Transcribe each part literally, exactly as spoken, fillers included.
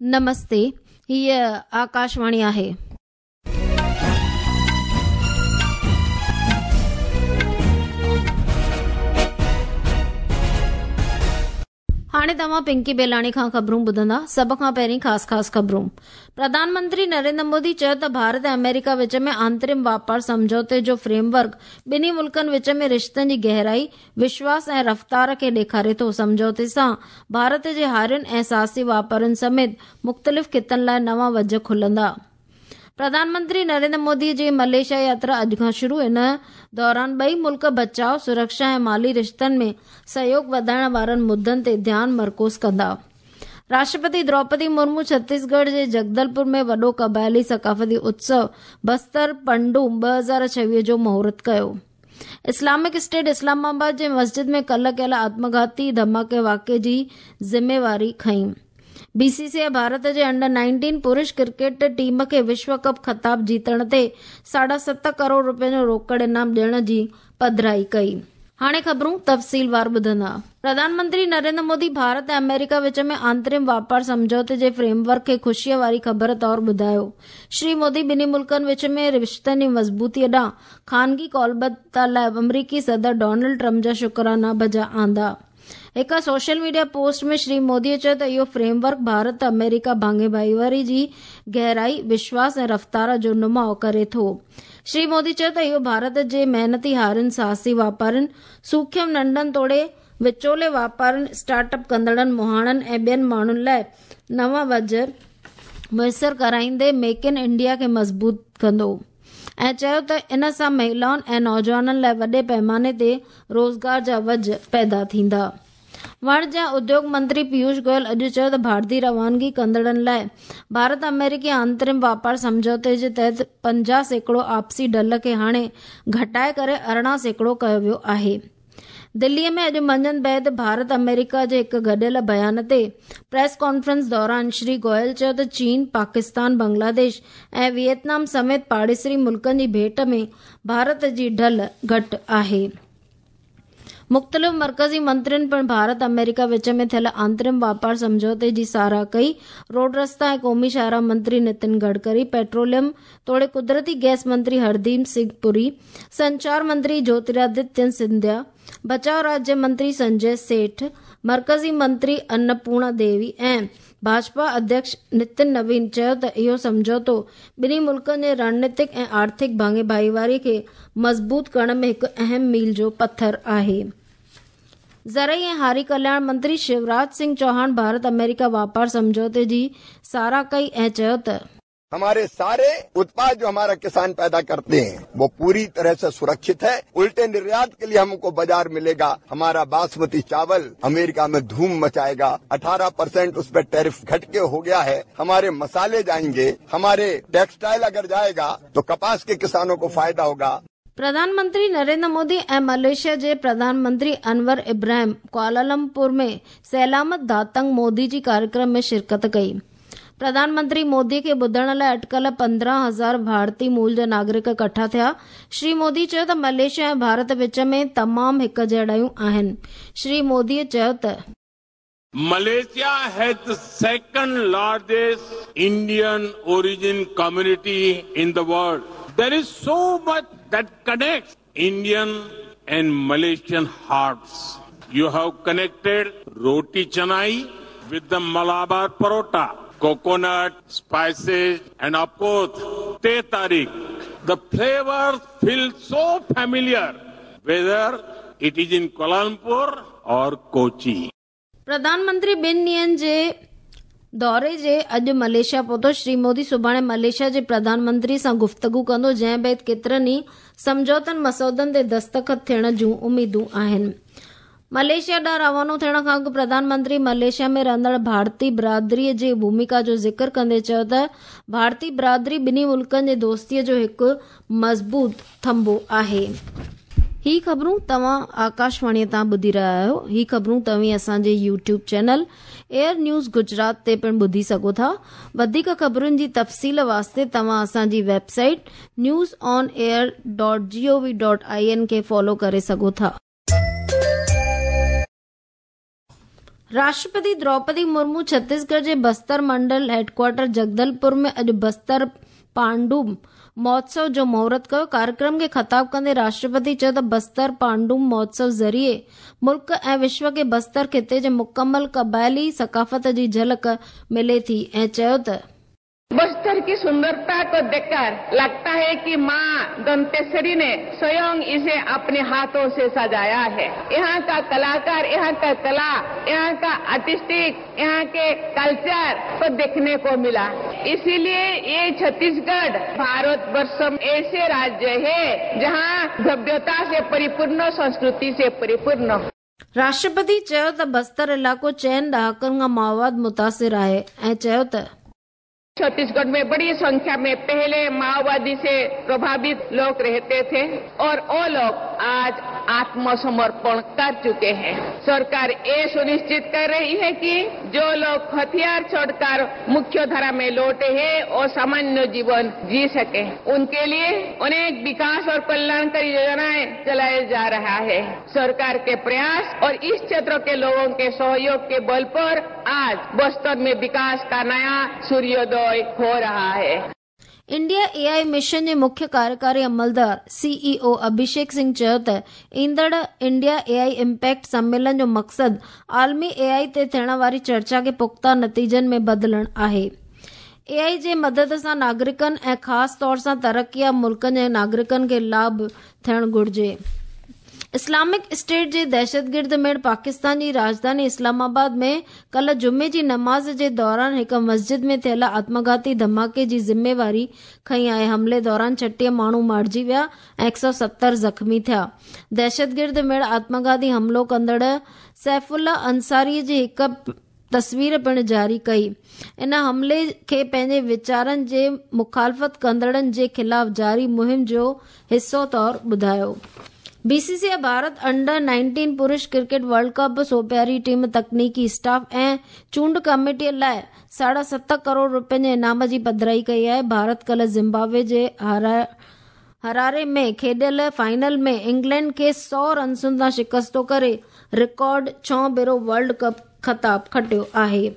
नमस्ते, हीअ आकाशवाणी आहे। हाणे तव्हां पिंकी बेलाणी खां ख़बरूं ॿुधंदा। सभ खां पहिरीं ख़ासि ख़ासि ख़बरूं। प्रधानमंत्री नरेंद्र मोदी चयो त भारत ऐं अमेरिका विच में आंतरिम वापार सम्झौते जो फ्रेमवर्क ॿिन्ही मुल्कनि विच में रिश्तनि जी गहराई, विश्वास ऐं रफ़्तार खे ॾेखारे थो। सम्झौते सां भारत जे हारियुनि ऐं साहसी वापारियुनि समेत मुख़्तलिफ़ ख़ितनि लाइ नवां वज खुलंदा। प्रधानमंत्री नरेंद्र मोदी जी मलेशिया यात्रा अॼु खां शुरू। इन दौरान ॿई मुल्क बचाव, सुरक्षा ऐं माली रिश्तनि में सहयोग वधाइण वारनि मुद्दनि ते ध्यानु मरकूज़ कंदा। राष्ट्रपति द्रौपदी मुर्मू छत्तीसगढ़ जे जगदलपुर में वॾो क़बाइली सकाफ़ती उत्सव बस्तर पंडुम ॿ हज़ार छवीह जो मुहूर्त कयो। इस्लामिक स्टेट इस्लामाबाद जे मस्जिद में कल्ह कयल आत्मघाती धमाके वाक़िए जी ज़िम्मेवारी खई। बीसीसीआई भारत जे अंडर नाइनटीन पुरुष क्रिकेट टीम खे विश्व कप ख़िताब जीतण ते साढा सत करोड़ रुपयनि जो रोकड़ इनाम ॾियण जी पधराई कई। हाणे ख़बरूं तफ़सीलवार ॿुधंदा। प्रधानमंत्री नरेंद्र मोदी भारत ऐं अमेरिका विच में आंतरिम वापार सम्झौते जे फ्रेमवर्क खे ख़ुशीअ वारी ख़बर तौर ॿुधायो। श्री मोदी ॿिन्ही मुल्कनि विच में रिश्तनि जी मज़बूतीअ ॾांहुं ख़ानगी कौलबद्धता लाइ अमरीकी सदर डोनाल्ड ट्रंप जा शुक्राना बजा आंदा। हिकु सोशल मीडिया पोस्ट में श्री मोदीअ चयो त इहो फ्रेमवर्क भारत अमेरिका भाङे भाईवारी जी गहराई, विश्वास ऐं रफ़्तार जो नुमाउ करे थो। श्री मोदी चयो त इहो भारत जे महिनती हारियुनि, साहसी वापारियुनि, सूखम नंढनि तोड़े विचोले वापारियुनि, स्टार्टअप कंदड़नि, मुहाणनि ऐं ॿियनि माण्हुनि लाइ नवां वज मुयसर कराईंदे मेक इन इंडिया खे मज़बूत कंदो ऐं चयो त इन सां महिलाउनि ऐं नौजवाननि लाइ वॾे पैमाने ते रोज़गार जा वज पैदा थींदा। वाणिज्य ऐं उद्योग मंत्री पीयूष गोयल अॼु चयो त भारतीय रवानगी कंदड़नि लाइ भारत अमेरिकी आंतरिम वापार सम्झौते जे तहत पंजाह सैकड़ो आपसी ढल खे हाणे घटाए करे अरिड़हं सैकड़ो कयो वियो आहे। दिल्लीअ में अॼु मंझंदि बाद भारत अमेरिका जे हिकु गॾियल बयान ते प्रेस कॉन्फ्रेंस दौरान श्री गोयल चयो त चीन, पाकिस्तान, बांग्लादेश ऐं वियतनाम समेत पाड़ेसरी मुल्कनि जी भेंट में भारत जी ढल घटि आहे। मुख़्तलिफ़ मर्कज़ी मंत्रियुनि पिणु भारत अमेरिका विच में थियल आंतरिम वापार सम्झौते जी साराह कई। रोड रस्ता ऐं क़ौमी शाहराह मंत्री नितिन गडकरी, पेट्रोलियम तोड़े कुदरती गैस मंत्री हरदीप सिंह पुरी, संचार मंत्री ज्योतिरादित्य सिंधिया, बचाव राज्य मंत्री संजय सेठ, मर्कज़ी मंत्री अन्नपूर्णा देवी ऐं भाजपा अध्यक्ष नितिन नवीन चयो त इहो सम्झौतो ॿिन्ही मुल्कनि जे रणनीतिक ऐं आर्थिक भाङे भाईवारी खे मज़बूत करण में हिकु अहम मील जो पथर आहे। ज़रई ऐं हारी कल्याण मंत्री शिवराज सिंह चौहान भारत अमेरिका वापार सम्झौते जी साराह कई ऐं चयो त हमारे सारे उत्पाद जो हमारा किसान पैदा करते हैं वो पूरी तरह से सुरक्षित है। उल्टे निर्यात के लिए हमको बाजार मिलेगा। हमारा बासमती चावल अमेरिका में धूम मचाएगा। अठारह परसेंट उस पर टैरिफ घट के हो गया है। हमारे मसाले जाएंगे, हमारे टेक्सटाइल अगर जाएगा तो कपास के किसानों को फायदा होगा। प्रधानमंत्री नरेंद्र मोदी ऐं मलेशिया जे प्रधानमंत्री अनवर इब्राहिम कुआलालंपुर में सलामत दातंग मोदी जी कार्यक्रम में शिरकत कई। प्रधानमंत्री मोदी खे ॿुधण लाइ अटकल पंद्रहं हज़ार भारतीय मूल जा नागरिक इकट्ठा थिया। श्री मोदी चयो त मलेशिया ऐं भारत विच में तमामु हिक जहिड़ायूं आहिनि। श्री मोदीअ चयो त Malaysia has the second largest Indian origin community in the world. There is so much that connects Indian and Malaysian hearts. You have connected roti canai with the Malabar parota, coconut, spices and of course teh tarik. The flavors feel so familiar whether it is in Kuala Lumpur or Kochi. प्रधानमंत्री ॿिनि ॾींहनि जे दौरे जे अॼु Malaysia पहुतो। श्री मोदी सुभाणे Malaysia जे प्रधानमंत्री सां गुफ़्तगू कंदो, जंहिं बाद केतिरनि ई सम्झौतनि मसौदनि ते दस्तख़त थियण जूं उमेदूं आहिनि। मलेशिया ॾांहुं रवानो थियण खां अॻु प्रधानमंत्री मलेशिया में रहंदड़ भारतीय बिरादरीअ जी भूमिका जो ज़िक्र कंदे चयो त भारतीय बिरादरी ॿिन्ही मुल्कनि जे दोस्तीअ जो हिकु मज़बूत थंभो आहे। ही ख़बरूं तव्हां आकाशवाणीअ तां ॿुधी रहिया आहियो। ही ख़बरूं तव्हीं असांजे YouTube channel Air News Gujarat ते पिणु ॿुधी सघो था। वधीक ख़बरुनि जी तफ़सील वास्ते तव्हां असांजी website news on air dot G O V dot I N खे फॉलो करे सघो था। राष्ट्रपति द्रौपदी मुर्मू छत्तीसगढ़ जे बस्तर मंडल हेडक्वार्टर जगदलपुर में अॼु बस्तर पांडुम महोत्सव जो मुहूर्त कयो। कार्यक्रम खे ख़िताब कंदे राष्ट्रपति चयो त बस्तर पांडुम महोत्सव ज़रिए मुल्क ऐं विश्व खे बस्तर ख़िते जे मुकमल क़बाइली सकाफ़त जी झलक मिले थी ऐं चयो त बस्तर की सुंदरता को देखकर लगता है कि माँ दंतेश्वरी ने स्वयं इसे अपने हाथों से सजाया है। यहाँ का कलाकार, यहाँ का कला, यहाँ का आर्टिस्टिक, यहाँ के कल्चर को देखने को मिला। इसीलिए ये छत्तीसगढ़ भारतवर्ष में ऐसे राज्य है जहाँ भव्यता से परिपूर्ण, संस्कृति से परिपूर्ण। राष्ट्रपति चयो त बस्तर इलाइक़ो चइनि ॾहाकनि खां माओवाद मुतासिर आहे ऐं चयो त छत्तीसगढ़ में बड़ी संख्या में पहले माओवादी से प्रभावित लोग रहते थे और वो लोग आज आत्मसमर्पण कर चुके हैं। सरकार ये सुनिश्चित कर रही है कि जो लोग हथियार छोड़कर मुख्य धारा में लौटे हैं और सामान्य जीवन जी सके, उनके लिए अनेक विकास और कल्याणकारी योजनाएं चलाए जा रहा है। सरकार के प्रयास और इस क्षेत्र के लोगों के सहयोग के बल पर आज बस्तर में विकास का नया सूर्योदय हो रहा है। इंडिया एआई मिशन जे मुख्य कार्यकारी अमलदार सीईओ अभिषेक सिंह चयो त ईंदड़ इंडिया एआई इम्पैक्ट सम्मेलन जो मक़सदु आलमी एआई ते थियण वारी चर्चा खे पुख़्ता नतीजनि में बदिलणु आहे। एआई जे मदद सां नागरिकनि ऐं ख़ासि तौर सां तरक़ी मुल्कनि जे नागरिकनि खे लाभ थियणु घुरिजे। इस्लामिक स्टेट जे दहशतगिर्द मेड़ पाकिस्तान जी राजधानी इस्लामाबाद में कल जुमे जी नमाज़ जे दौरान हिकु मस्जिद में थियल आत्मघाती धमाके जी ज़िम्मेवारी खई आहे। हमले दौरान छटीह माण्हू मारिजी विया ऐं हिकु सौ सतरि ज़ख़्मी थिया। दहशतगिर्द मेड़ आत्मघाती हमलो कंदड़ सैफुल्ला अंसारी जी हिकु तस्वीर पिणु जारी कई। इन हमले खे पंहिंजे वीचारनि जे मुखालफ़त कंदड़नि जे ख़िलाफ़ जारी मुहिम जो हिसो तौर ॿुधायो। बीसीसीआई भारत अंडर नाइनटीन पुरुष क्रिकेट वर्ल्ड कप सोपियारी टीम तकनीकी स्टाफ ऐं चूंड कमेटीअ लाइ साढा सत करोड़ रुपयनि जे इनाम जी पधराई कई आहे। भारत कल ज़िम्बाब्वे जे हरारे में खेॾियल फाइनल में इंग्लैंड खे सौ रनसुनि तां शिकस्तो करे रिकॉर्ड छहों भेरो वर्ल्ड कप ख़िताब खटियो आहे।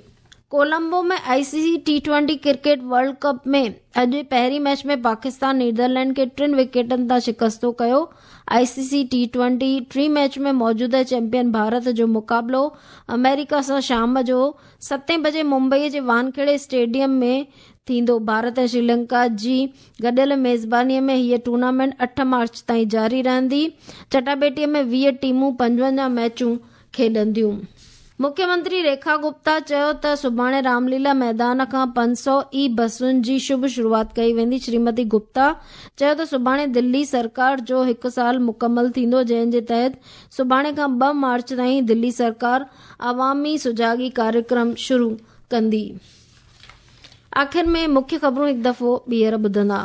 कोलंबो में ICC T twenty cricket world cup में अॼु पहिरीं मैच में पाकिस्तान नीदरलैंड खे टिनि विकेटनि तां शिकस्तो कयो। ICC T twenty T match में मौजूदा चैंपियन भारत जो मुक़ाबिलो अमेरिका सां शाम जो सतें बजे मुंबई जे वानखेड़े स्टेडियम में थींदो। भारत ऐं श्रीलंका जी गॾियल मेज़बानीअ में हीअ टूर्नामेंट अठ मार्च ताईं जारी रहंदी। चटाबेटीअ में वीह टीमूं पंजवंजाह मैचूं खेॾंदियूं। मुख्यमंत्री रेखा गुप्ता चयो त सुभाणे रामलीला मैदान खां पंज सौ ई बसुनि जी शुभ शुरुआत कई वेंदी। श्रीमती गुप्ता चयो त सुभाणे दिल्ली सरकार जो हिकु साल मुकमल थींदो, जंहिं जे तहत सुभाणे खां ॿ मार्च ताईं दिल्ली सरकार अवामी सुजागी कार्यक्रम शुरू कंदी। आख़िर में मुख्य ख़बरूं हिकु दफ़ो ॿीहर ॿुधंदा।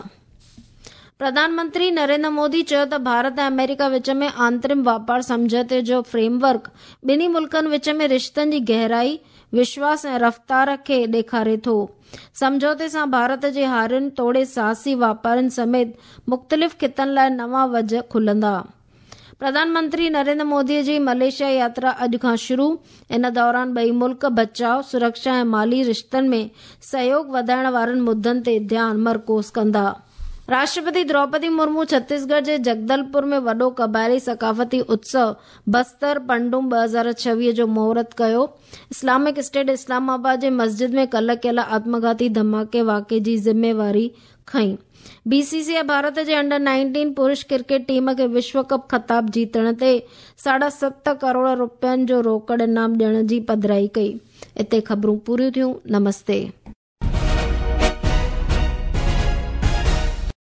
प्रधानमंत्री नरेंद्र मोदी चयो त भारत ऐं अमेरिका विच में आंतरिम वापार सम्झौते जो फ्रेमवर्क ॿिन्ही मुल्कनि विच में रिश्तनि जी गहराई, विश्वास ऐं रफ़्तार खे ॾेखारे थो। सम्झौते सां भारत जे हारियुनि तोड़े साहसी वापारियुनि समेत मुख़्तलिफ़ ख़ितनि लाइ नवां वज खुलंदा। प्रधानमंत्री नरेंद्र मोदी जी मलेशिया यात्रा अॼु खां शुरू। इन दौरान ॿई मुल्क बचाव, सुरक्षा ऐं माली रिश्तनि में सहयोग वधाइण वारनि मुद्दनि ते ध्यानु मरकूज़ कंदा। राष्ट्रपति द्रौपदी मुर्मू छत्तीसगढ़ जे जगदलपुर में वॾो क़बाइली सकाफ़ती उत्सव बस्तर पंडुम ॿ हज़ार छवीह जो मुहूर्त कयो। इस्लामिक स्टेट इस्लामाबाद जे मस्जिद में कल कयल आत्मघाती धमाके वाक़े जी ज़िम्मेवारी खई। बीसीसीआई भारत जे अंडर नाइनटीन पुरुष क्रिकेट टीम खे विश्व कप ख़िताब जीतण ते साढा सत करोड़ रुपयनि जो रोकड़ इनाम ॾियण जी पधराई कई। हिते ख़बरूं पूरियूं थियूं। नमस्ते।